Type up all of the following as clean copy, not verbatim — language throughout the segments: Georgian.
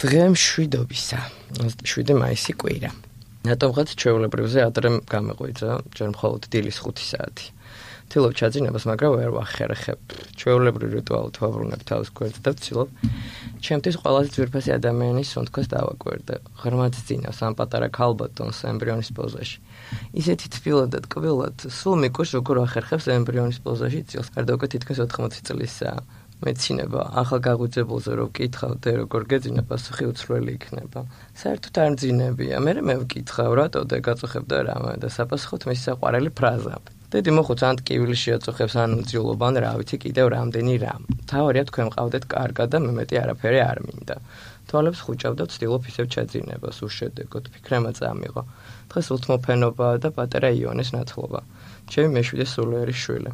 დღე მშვიდობისა, 27 მაისი კვირა. რატომღაც ჩვეულებრივზე ადრე გამეღვიძა, ჯერ მხოლოდ დილის 5 საათი. ვთილობ ჩაძინებას, მაგრამ ვერ ვახერხებ. ჩვეულებრივ რიტუალით ვაბრუნებ თავს გვერდს და ვცდილობ ჩემთვის ყველაზე ძვირფასი ადამიანის სუნთქოს დავაკვირდე. ღრმად ძინავს ამ პატარა ქალბატონს ემბრიონის პოზაში. ისეთი თბილად კბილად, სულ მიკვირს როგორ ახერხებს ემბრიონის პოზაში წილს. გარდაუკეთ თითქმის 80 წლისაა. მეცინება ახალგაღუძებულზე რო ვკითხავდე როგორ გეძინა პასუხი უცვლელი იქნება. საერთოდ არ მძინებია. მე ვკითხავ რატოდე გაწუხებდა რამე და საპასუხოდ მისი საყვარელი ფრაზა. დედი მოხუც ან ტკივილი შეაწუხებს ან უძიულობა ან რა ვიცი კიდევ რამდენი რამ. თავარია თქვენ მყავდეთ კარგად და მე მეტი არაფერი არ მინდა. თვალებს ხუჭავ და ვცდილობ ისევ ჩაძინებას უშედეგოდ ფიქრემა წამიღო. დღეს უთმოფენობაა და პატარა იონეს ნათლობა. ჩემი მეშვიდე სულიერი შვილი.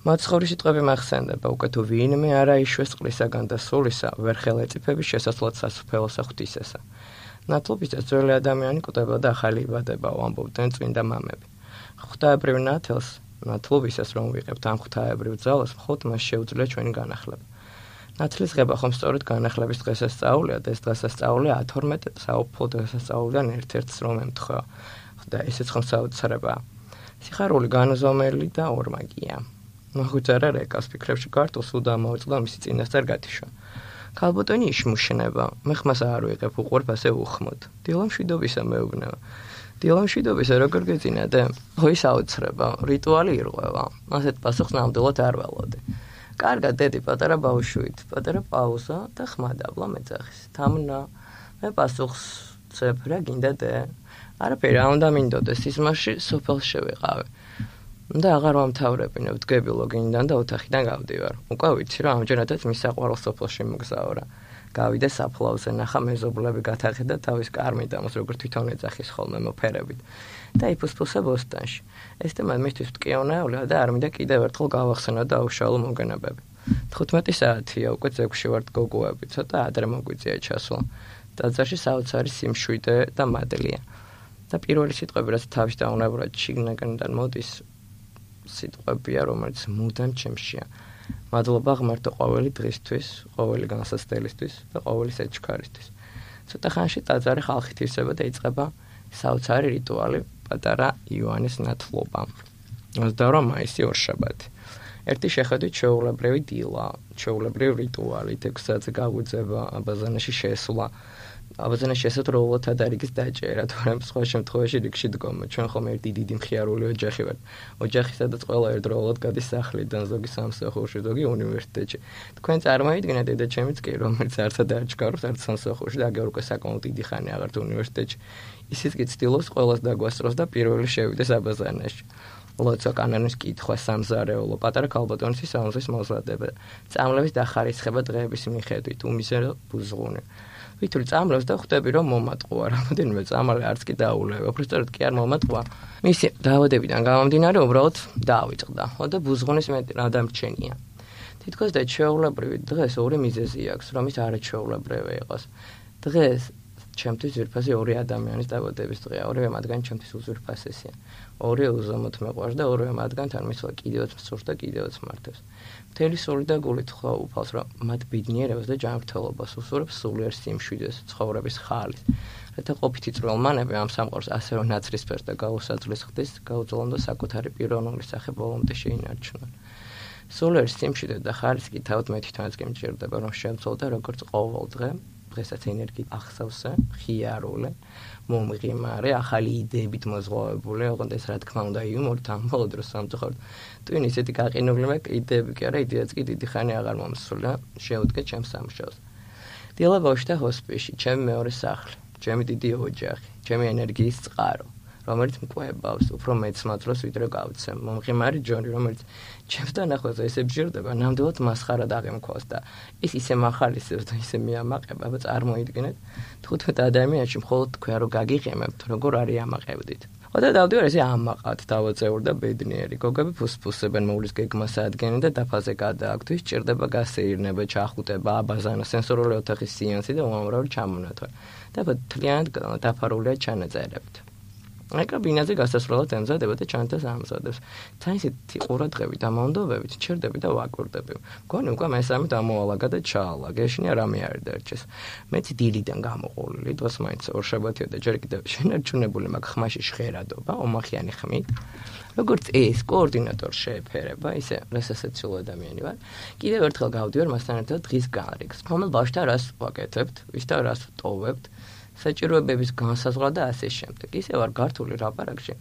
მაცხოვრის სიტყვები მახსენდება, უკვე თუ ვინმე არა იშვეს წყლისაგან და სულისა, ვერ ხელეწიფების შესასვლად სასუფეველსა ღვთისესა. ნათლობისას ძველი ადამიანი კვდება და ახალი იბადება, ამბობდნენ წმინდა მამები. ღვთაებრივ ნათელს, ნათლობისას რომ ვიღებთ ამ ღვთაებრივ ძალას, მხოლოდ მას შეუძლია ჩვენი განახლება. ნათლის ღება ხომ სწორედ განახლების დღესასწაულია და ეს დღესასწაული 12 საუფლო დღესასწაულიდან ერთ-ერთს რომ ემთხვევა. და ესეც ხომ საოცრებაა. სიხარული განუზომელი და ორმაგია. მაგუძარა რეკავს ფიქრებში ქართულს უდამოეწყდა მისი წინასწარ გათიშვა. ქალბატონი იშმუშნება, მე ხმას არ ვიღებ, უყვართ ასე უხმოდ. დილამშვიდობისა მეუბნება. დილამშვიდობისა როგორ გეძინადე? ხო ის აუცრება, რიტუალი ირღვევა. ასეთ პასუხს ნამდვილად არ ველოდე. კარგად დედი პატარა ბავშვით, პატარა პაუზა და ხმა დაბლა მეძახის. თამნა, მე პასუხს წებ რა გინდა დე? არაფერი არ უნდა მინდოდეს, სიზმარში სოფელს შევიყავე. და აღარ ვამთავრებინებ, ვდგები ლოგინიდან და ოთახიდან გავდივარ. უკვე ვიცი რომ ამჯერადაც მის საყვარელ სოფელში მგზავრა. გავიდე საფლავზე, ნახა მეზობლები გათაღდა თავის კარმიდამოს, როგორც თვითონ ეძახის ხოლმე მოფერებით. და იფუსფუსა ბოსტანში. ეს თემა მისთვის მტკივნეულია და არ მინდა კიდევ ერთხელ გავახსენო და აუშალო მოგონებები. 15 საათია, უკვე ძეგლში ვართ გოგოები, ცოტა ადრე მოგვიწია ჩასვლა. ტაძარში საოცარი სიმშვიდე და მადლია. და პირველი სიტყვები, რაც თავის დაუნებურად შიგნიდან მოდის, სიტყვებია, რომელიც მუდამ ჩემშია. მადლობა ღმერთო ყოველი დღისთვის, ყოველი განსაცდელისთვის და ყოველი საჩქარისთვის. ცოტა ხანში ტაძარი ხალხით ივსება და იწყება საოცარი რიტუალი პატარა იოანეს ნათლობა. 28 მაისი ორშაბათი. ერთი შეხედვით ჩვეულებრივი დილა, ჩვეულებრივი რიტუალი, 6 საათზე გაგვიძება, აბაზანაში შესვლა. აბაზანაში შესაძლოა თადარიგის დაჭერა, თორემ სხვა შემთხვევაში რიგში დგომა. ჩვენ ხომ ერთი დიდი მხიარული ოჯახი ვართ. ოჯახი სადაც ყველა ერთდროულად გადის სახლიდან, ზოგი სამსახურში, ზოგი უნივერსიტეტში. თქვენ წარმოიდგინეთ დედაჩემიც კი, რომელიც არცად არ ჩქარობს, არც სამსახურში და აგერ უკვე საკმაოდ დიდი ხანი აღარ თუ უნივერსიტეტში. ისიც კი ცდილობს ყველას დაგვასწროს და პირველი შევიდეს აბაზანაში. ლოცვა კანონის კითხვა, სამზარეულო, პატარა ქალბატონის სამზის მოზადება, წამლების დახარისხება დღეების მიხედვით, უმისერო ბუზღუნი. ვითური წამლებს და ხვდები რომ მომატყუა, რამოდენიმე წამალი არც კი დაულევა, უბრალოდ კი არ მომატყუა. მისი დაავადებიდან გამომდინარე უბრალოდ დაავიწყდა. და ბუზღუნის მეტი რა დამრჩენია. თითქოს და ჩვეულებრივი დღეს ორი მიზეზი აქვს, რომ ის არაჩვეულებრივი იყოს. დღეს ჩემთვის ძვირფასი ორი ადამიანის დაბადების დღეა, ორივე მათგანი ჩემთვის უძვირფასესია. ორი უზომოდ მეყვარს და ორივე მათგანთან მისვლა კიდევაც მსურს და კიდევაც მართებს. მთელი სული და გულით ხვაუფალს, რომ მათ ბედნიერებას და ჯანმრთელობას უსურვებს სულიერ სიმშვიდეს, ცხოვრების ხალის. რათა ყოფითი წვრილმანები ამ სამყაროს ასევე ნაცრისფერს და გაუსაძლის ხდის, გაუძლონ და საკუთარი პიროვნული სახე ბოლომდე შეინარჩუნონ. სულიერ სიმშვიდე და ხალის კი თავად მე თვითონაც კი მჭირდება, რომ შემცვალ და როგორც ყოველ დღე დღესაც ენერგიით ახსავსე, ხიარული, მომღიმარე, ახალი იდეებით მოზღვავებული, ოღონდ ეს რა თქმა უნდა იუმორით ამ ბოლო დროს სამწუხაროდ. თუ ისეთი გაყინული მაქვს, იდეები კი არა, იდეაც კი დიდი ხანი აღარ მომსულა, შეუდგე ჩემს სამუშაოს. დილა ბავშვთა ჰოსპისში, ჩემი მეორე სახლი, ჩემი დიდი ოჯახი, ჩემი ენერგიის წყარო, რომელიც მკვებავს, უფრო მეც მაძლოს ვიდრე გავცემ. მომღიმარი ჯონი, რომელიც ჩემს დანახვაზე ესე ბჟირდება, ნამდვილად მასხარად აღემქვალს და ის ისე მახალისებს და ისე მიამაყება, წარმოიდგინეთ, 15 ადამიანში მხოლოდ თქვენ რო გაგიღემებთ, როგორ არის ამაყევდით. და დავდივარ ესე ამაყად, დავაწეურ და ბედნიერი. გოგები ფუსფუსებენ მოვლის გეგმას ადგენენ და დაფაზე გადააქვთ, ის ჭირდება გასეირნება, ჩახუტება, აბაზანა, სენსორული ოთახის სეანსი და უამრავი ჩამონათვალი. და თლიანად დაფარულია ჩანაწერებით. ეკა ბინაზე გასასვლელად ემზადება და ჩანთას ამზადებს. თან ისეთი ყურადღებით და მომდობებით ჩერდები და ვაკვირდები. მგონი უკვე მესამე დამოალაგა და ჩაალაგა, ეშინია რამე არ დარჩეს. მეც დილიდან გამოყოლილი, დღეს მაინც ორშაბათია და ჯერ კიდევ შენარჩუნებული მაგ ხმაში ჟღერადობა, ომახიანი ხმით. როგორც ეს კოორდინატორ შეეფერება, ისე რასასაცილო ადამიანი ვარ. კიდევ ერთხელ გავდივარ მასთან ერთად დღის განრიგს. რომელ ბავშვთან რას ვაკეთებთ, ვისთან რას ვტოვებთ, საჭიროებების განსაზღვრა და ასე შემდეგ. ისე ვარ გართული ლაპარაკში.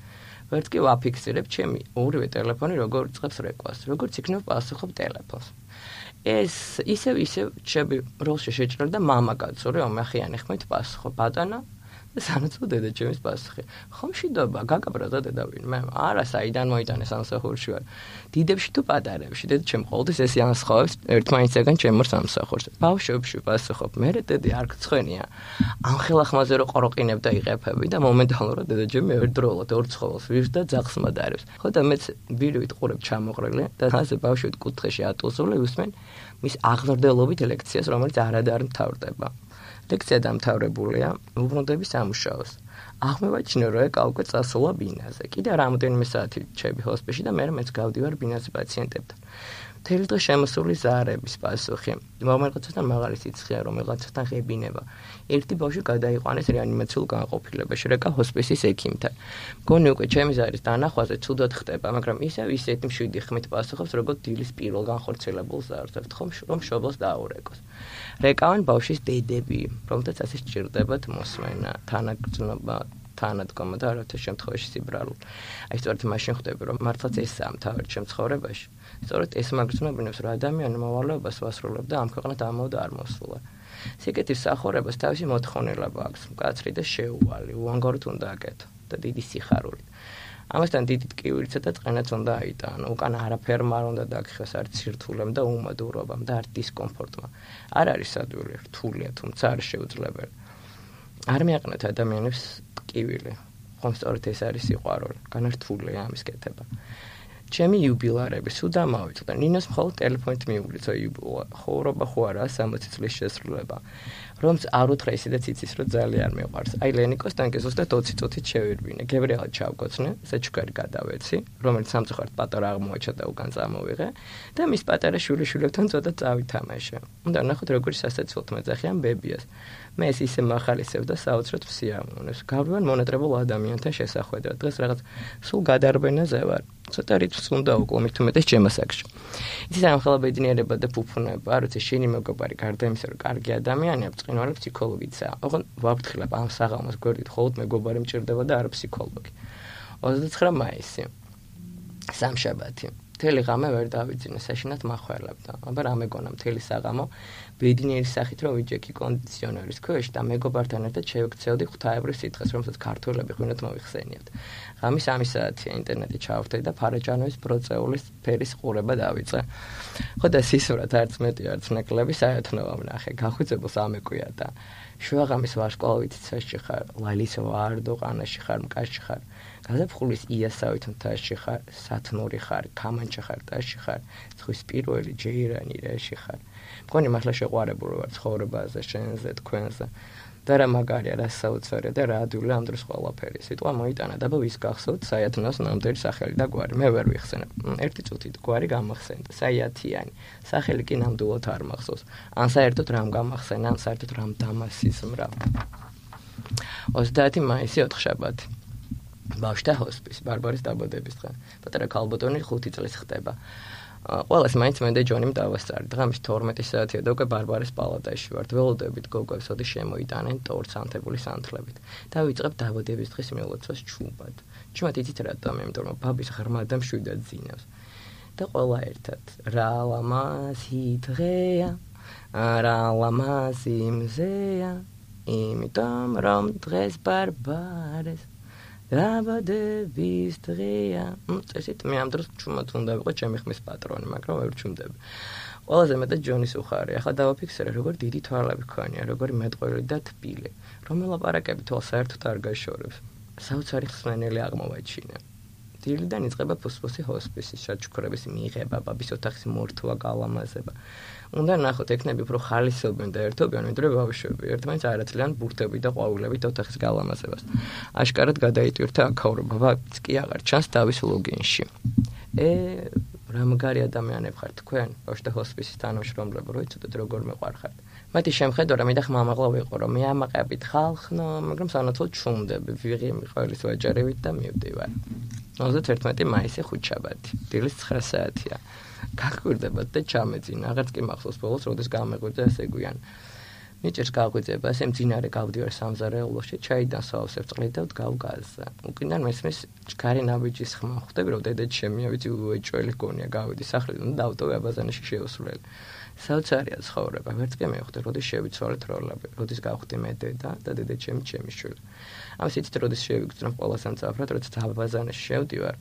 ვერც კი ვაფიქსირებ ჩემი ორივე ტელეფონი როგორ იწყებს რეკვას, როგორც იქნებ პასუხობ ტელეფონს. ეს ისევ ჩემი როლში შეჭრა და მამაკაცო რომ ომახიანი ხმით პასუხობ ბატონო სანაცვლო დედა ჩემის პასუხი. ხომ მშვიდობა, გაგაბრაზა დედა ვინმე? არა, საიდან მოიტანეს სამსახურში ვარ. დიდებში თუ პატარებში, დედა ჩემ ყოველთვის ესე ანსხოვებს ერთმანეთსაგან ჩემ სამსახურს. ბავშვებში პასუხობ, მერე დედი არ გცხვენია. ამ ხელახმაზე რო ყროყინებ და იღებები და მომენტალურად დედა ჩემი ერთდროულად ორ ცხოველს ვირს და ძაღლს მადარებს. ხო და მეც ბირვით ყურებ ჩამოყრილი და ასე ბავშვით კუთხეში ატუსული უსმენ მის აღზრდელობით ლექციას, რომელიც არადარ მთავრდება. ლექცია დამთავრებულია, უბრუნდები სამუშაოს. აღმევაჩინე რომ ეკა უკვე წასულა ბინაზე. კიდე რამოდენიმე საათი ჩები ჰოსპისში და მე მეც გავდივარ ბინაზე პაციენტებთან. მთელი დღე შემოსული ზაარების პასუხი. რომელიღაცასთან მაღალი სიცხეა, რომელიღაცასთან ღებინება. ერთი ბავშვი გადაიყვანეს რეანიმაციულ განყოფილებაში, რეკა ჰოსპისის ექიმთან. მგონი უკვე ჩემი ზარის დანახვაზე ცუდად ხდება, მაგრამ ისეთი მშვიდი ხმით პასუხობს, როგორც დილის პირველ განხორციელებულ ზაარს, რომ მშობელს დაურეკოს. რეკავენ ბავშვის დედები, რომელთაც ასე სჭირდებათ მოსმენა, თანაგრძნობა, თანადგომა და არათა შემთხვევაში სიბრალული. აი სწორედ მაშინ ხვდები, რომ მართლაც ესაა მთავარი ჩემ ცხოვრებაში. სწორედ ეს მაგრძნობინებს, რომ ადამიანი მოვალეობას ვასრულებ და ამ ქვეყნად ამაოდ არ მოსულა. სიკეთის სახურებას თავისი მოთხოვნილება აქვს, მკაცრი და შეუვალი, უანგაროდ უნდა აკეთო და დიდი სიხარულით. ამასთან დიდი ტკივილიცა და წყენაც უნდა აიტანო, უკან არაფერმა არ უნდა დაგხეს არც სირთულემ და უმადურობამ და არც დისკომფორტმა. არ არის ადვილი, რთულია, თუმცა არ შეუძლებელი. არ მიაყენეთ ადამიანებს ტკივილი, ხომ სწორედ ეს არის სიყვარული, განართულია ამის კეთება. ჩემი იუბილარები სულ დამავიწყდა. ნინოს მხოლოდ ტელეფონით მიუგლიცა იუბილა. ხოვრობა ხო არაა 60 წლის შესრულება. რომც არ უთხრა ისედაც იცის, რომ ძალიან მიყვარს. აი ლენიკოს ტანკი ზუსტად 20 წუთით შევირბინე. გებრიელად ჩავკოცნე, საჩუქარი გადავეცი, რომელიც სამწუხაროდ პატარა აღმოაჩა და უკან წამოვიღე და მის პატარა შვილიშვილებთან ცოტა წავითამაშე. უნდა ნახოთ როგორი სასაცილოდ მეძახიან ბებიას. მე ეს ისე მახალისებ და საოცრად მსიამოვნებს. გავდივარ მონატრებულ ადამიანთან შესახვედრად. დღეს რაღაც სულ გადარბენაზე ვარ. ცოტა რიცხვს უნდა უკლო თუ მეტეს ჩემასაკში. იცის ამხელა ბედნიერება და ფუფუნება, არ ვიცი, შენი მეგობარი გარდა იმისა, რომ კარგი ადამიანია, ბრწყინვალე ფსიქოლოგიცაა. ოღონ ვაფრთხილებ ამ საღამოს გვერდით, მხოლოდ მეგობარი მჭირდება და არა ფსიქოლოგი. 29 მაისი. სამშაბათი. მთელი ღამე ვერ დავიძინე, საშინად მახველებდა. აბა რა მეგონა მთელი საღამო ბედნიერი სახით რომ ვიჯექი კონდიციონერის ქვეშ და მეგობართან ერთად შევქცევდი ღვთაებრივ სიტყვას, რომელსაც ქართველები ღვინოთ მოვიხსენიებთ. ღამის 3 საათია ინტერნეტი ჩავხტე და ფარაჯანოვის ბროწეულის ფერის ყურება დავიწყე. ხო და სისურათ არც მეტი არც ნაკლები საერთნოა ვნახე. გახვიძებელს ამეკვია და შუაღამის ვარსკვლავით ცეში ხარ, ლალის ვარდო ყანაში ხარ, მკაში ხარ. გაზაფხულის იასავით მთაში ხარ, სათნური ხარ, კამანჩა ხარ, ტაში ხარ, ზღვის პირველი ჯეირანი რეში ხარ. მგონი მართლა შეყვარებული ვარ ცხოვრებაზე, შენზე, თქვენზე. და რა მაგარია, რა საოცარია და რა ადვილი ამ დროს ყველაფერი. სიტყვა მოიტანა და ვის გახსოვთ საიათნოს ნამდვილი სახელი და გვარი. მე ვერ ვიხსენებ. ერთი წუთით გვარი გამახსენდა, საიათიანი. სახელი კი ნამდვილად არ მახსოვს. ან საერთოდ რამ გამახსენა, ან საერთოდ რამ დამასიზმრა. 30 მაისი 4 შაბათი. ბავშვთა ჰოსპისი, ბარბარის დაბადების დღე. პატარა ქალბატონი 5 წლის ხდება. ყველას მაინც მე და ჯონიმ დავასწარი. დღამის 12 საათია და უკვე ბარბარის პალატაში ვართ. ველოდებით გოგოებს ოდი შემოიტანენ ტორტს ანთებული სანთლებით. და ვიწყებ დაბადების დღის მილოცვას ჩუმად. ჩუმად იცით რატომ? იმიტომ რომ ბაბის ღრმა და მშვიდად ძინავს. და ყველა ერთად რა ლამაზი დღეა, რა ლამაზი მზეა, იმიტომ რომ დღეს ბარბარეს დაბადების დღეა. წესით მე ამ დროს ჩუმად უნდა ვიყო ჩემი ხმის პატრონი, მაგრამ ვერ ჩუმდები. ყველაზე მეტად ჯონის უხარი. ახლა დავაფიქსირე, როგორ დიდი თვალები ქონია, როგორი მეტყველი და თბილი. რომ ელაპარაკები თვალს საერთოდ არ გაშორებს. საოცარი ხსნელი აღმოვაჩინე. დილიდან იწყება ფუსფუსი ჰოსპისის საჩუქრების მიღება, ბაბის ოთახის მორთვა, გალამაზება. უნდა ნახოთ, ექნები უფრო ხალისობენ და ერთობიან, ვიდრე ბავშვები. ერთმანეთს არ აცლიან ბურთები და ყვავილებით ოთახის გალამაზებას. აშკარად გადაიტვირთა აქაურობა, ბაბიც კი აღარ ჩანს თავის ლოგინში. რამგარი ადამიანები ხართ თქვენ, ბავშვთა ჰოსპისის თანამშრომლები, რო იცოდეთ როგორ მეყვარხართ. მათი შემხედო რა მითხ მამაღლა ვიყო რომ მე ამაყებით ხალხნო, მაგრამ სანაცვლოდ ჩუმდები, ვიღი მიყოლის ვაჭარებით და მივდივარ. 31 მაისი ხუთშაბათი, დილის 9 საათია. გაგვირდებათ და ჩამეძინა, აღარც კი მახსოვს ბოლოს, როდის გამეღვიძა ესე გვიან. მიჭერს გაღვიძება, ესე მძინარე გავდივარ სამზარეულოში, ჩაიდან სავსებ წყლით და ვდგავ გაზზე. უკიდან მესმის ჩქარი ნაბიჯის ხმა, ხვდები რომ დედაც შემია, ვიცი უეჭველი გონია, გავიდი სახლიდან და დავტოვე აბაზანაში შევსვლელი. საოცარია ცხოვრება, ვერც კი მივხვდი, როდის შევიცვალეთ როლები, როდის გავხდი მე დედა და დედა ჩემი შვილი. ამას იცით, როდის შევიგრძნობ ყველას ამწაფრად, როდის აბაზანაში შევდივარ,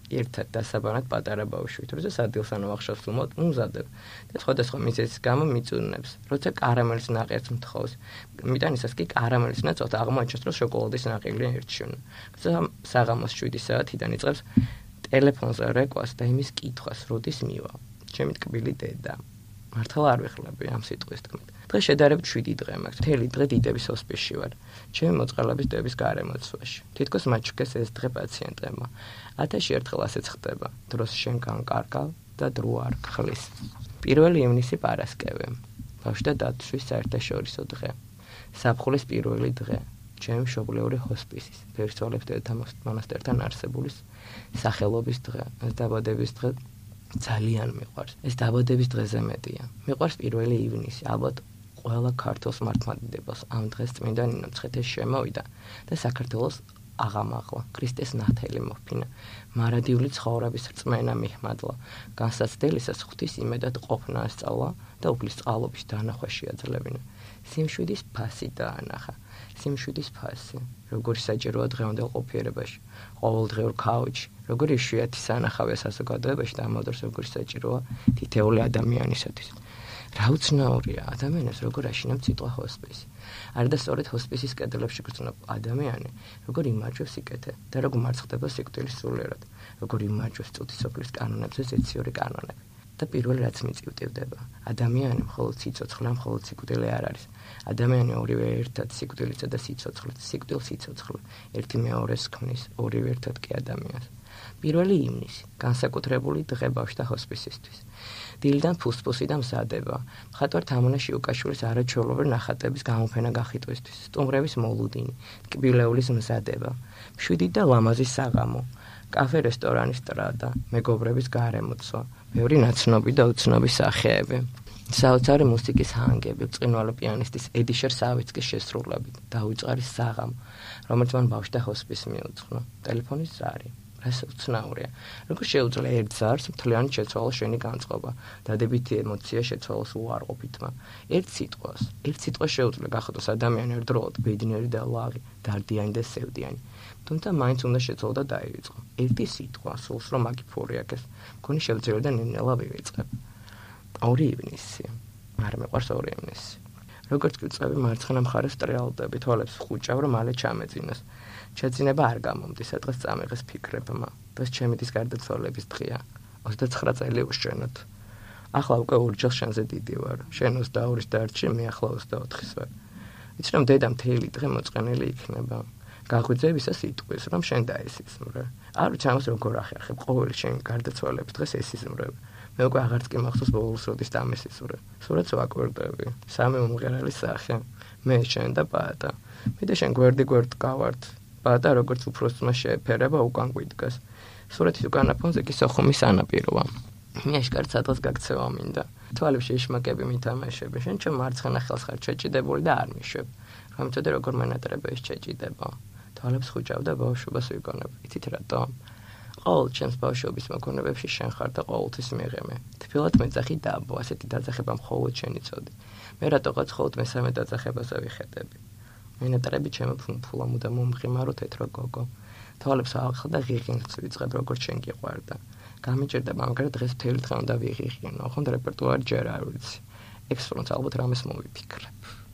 ერთად დასაბანად პატარა ბავშვით, როცა სადილს ანუ ახშავს ვუმოთ, უმზადებ და სხვადასხვა მიზეზის გამო მიწუნებს. როცა კარამელის ნაყერს მთხოვს, მიტანისას კი კარამელის ნაცვლად აღმოაჩენს, რომ შოკოლადის ნაყილი ერჩიონა. საღამოს 7 საათიდან იწყებს ტელეფონზე რეკვას და იმის კითხვას, როდის მივა. ჩემი ტკბილი დედა. მართლა არ ვიხლები ამ სიტყვის თქმით. დღეს შედარებით 7 დღე მაქვს. მთელი დღე დიდების ჰოსპისში ვარ. ჩემი მოწყალების დების გარემოცვაში. თითქოს მაჩუქეს ეს დღე პაციენტებმა. 1000 ერთხელ ასეც ხდება. დროს შენ განკარგავ და დრო არ ხლის. 1 ივნისი პარასკევი. ბავშვთა დაცვის საერთაშორისო დღე. საფხულის პირველი დღე. ჩემი მშობლიური ჰოსპისის, ფერსვალებს დედათა მონასტერთან არსებული სახელობის დღე. ეს დაბადების დღე ძალიან მიყვარს. ეს დაბადების დღეზე მეტია. მიყვარს 1 ივნისი. ალბათ ყველა ქართულს მართლმადიდებლს ამ დღეს წმინდა ნინო მცხეთეს შემოვიდა და საქართველოს აღამაღლა. ქრისტეს ნათელი მოფინა. მარადიული ცხოვრების რწმენა მიჰმადლა. განსაცდელისას ღვთის იმედად ყოფნა ასწავლა და უფლის წყალობის დანახვა შეაძლევინა. სიმშვიდის ფასი დაანახა. სიმშვიდის ფასი. როგორი საჭიროა დღევანდელ ყოფიერებაში. ყოველდღიურ ქაუჩში. როგორი იშვიათი სანახავია საზოგადოებაში და ამავდროულად როგორი საჭიროა თითეული ადამიანისათვის. რა უცნაურია ადამიანებს როგორ აშინებს სიტყვა ჰოსპისი. არა და სწორედ ჰოსპისის კედლებში გრძნობ ადამიანი, როგორ იმარჯვებს სიკეთე და როგორ მარცხდება სიკვდილის სულიერად, როგორ იმარჯვებს წუთის სოფლის კანონებზე ზეციური კანონები. და პირველი რაც მიწივდება, ადამიანი მხოლოდ სიცოცხლე, მხოლოდ სიკვდილი არ არის. ადამიანი ორივე ერთად სიკვდილისა და სიცოცხლე, სიკვდილ-სიცოცხლე, ერთი მეორეს ქმნის, ორივე ერთად კი ადამიანს. 1 ივნისი, განსაკუთრებული დღე ბავშვთა ჰოსპისისთვის. დილიდან ფუსფუსი და მზადება. მხატვარ თამუნა შიუკაშვილის არაჩვეულებრივი ნახატების გამოფენა გახიტვისთვის, სტუმრების მოლუდინი, ტკბილეულის მზადება, მშვიდი და ლამაზი საღამო, კაფე რესტორანის ტრადა, მეგობრების გარემოცვა, ბევრი ნაცნობი და უცნობი სახეები. საოცარი მუსიკის ჰანგები, ბრწყინვალე პიანისტის ედიშერ სავიცკის შესრულებით, დაუწყარის საღამო, რომელიც მან ბავშვთა ჰოსპისს მიუძღვნა, ტელეფონის ზარი. ეს უცნაურია. როგორ შეუძლია ერთ ზარს მთლიანი შეცვალოს შენი განწყობა, დადებითი ემოცია შეცვალოს უარყოფითმა. ერთ სიტყვას შეუძლია გახადოს ადამიანი ერთდროულად ბედნიერი და ლაღი, დარდიანი და სევდიანი. თუმცა მაინც უნდა შეცვალო და დაივიწყო. ერთი სიტყვა სულს რომ აგიფური აქეს, მგონი შევძლებ და ნინელა ვივიწყებ. 2 ივნისი. არ მეყვარს 2 ივნისი. როგორც კი წევი მარცხენა მხარეს ტრიალდები, თვალებს ხუჭავ რომ მალე ჩამეძინოს. შეძინება არ გამომდის, დღეს წამიღეს ფიქრებმა. დღეს ჩემთვის გარდაცვალების დღეა. 29 წელი უშენოთ. ახლა უკვე ორჯერ შენზე დიდი ვარ. შენ 22-ის დარჩი, მე ახლა 24-ის ვარ. ვიცი რომ დედა მთელი დღე მოწყენილი იქნება. გაღვიძებისას იტყვის რომ შენ დაესიზმრე. არ ვიცი ამას როგორ ახერხებ, ყოველი შენი გარდაცვალების დღეს ესიზმრებ. მე უკვე აღარც კი მახსოვს ბოლოს როდის დამესიზმრე. სურათს ვაკვირდები. 3 უმღერალი სახე. მე შენ და პატა. მე და შენ გვერდ გავართ. პატა როგორც უფროსმა შეეფერება უკან გვიდგას. სურათის უკანა ფონზე კი სოხუმის სანაპიროა. მე აშკარად სადღაც გაქცევა მინდა. თვალებში იშმაკები მითამაშები. შენ ჩემ მარცხენა ხელს ხარ ჩეჭიდებული და არ მიშვებ. რომ მწოდე როგორ მენატრება ეს ჩეჭიდება. თვალებს ხუჭავ და ბავშვობას ვიგონებ. იცით რატომ? ყოველ ჩემს ბავშვობის მოგონებებში შენ ხარ და ყოველთვის მიღიმე. თბილად მეძახი დაბო, ასეთი დაძახება მხოლოდ შენი წოდი. მე რატოღაც მხოლოდ მესამე დაძახებაზე ვიხედები. მენატრები ჩემო ფუმფულა მუდამ მომღიმარო თეთრო გოგო. თვალებს ავახალ და ღიღინს ვიწყებ როგორც შენ გიყვარდა. გამიჭირდება, მაგრამ დღეს მთელი დღე უნდა ვიღიღინო, ხომ რეპერტუარი ჯერ არ ვიცი. ექსპრომტ ალბათ რამეს მოვიფიქრებ.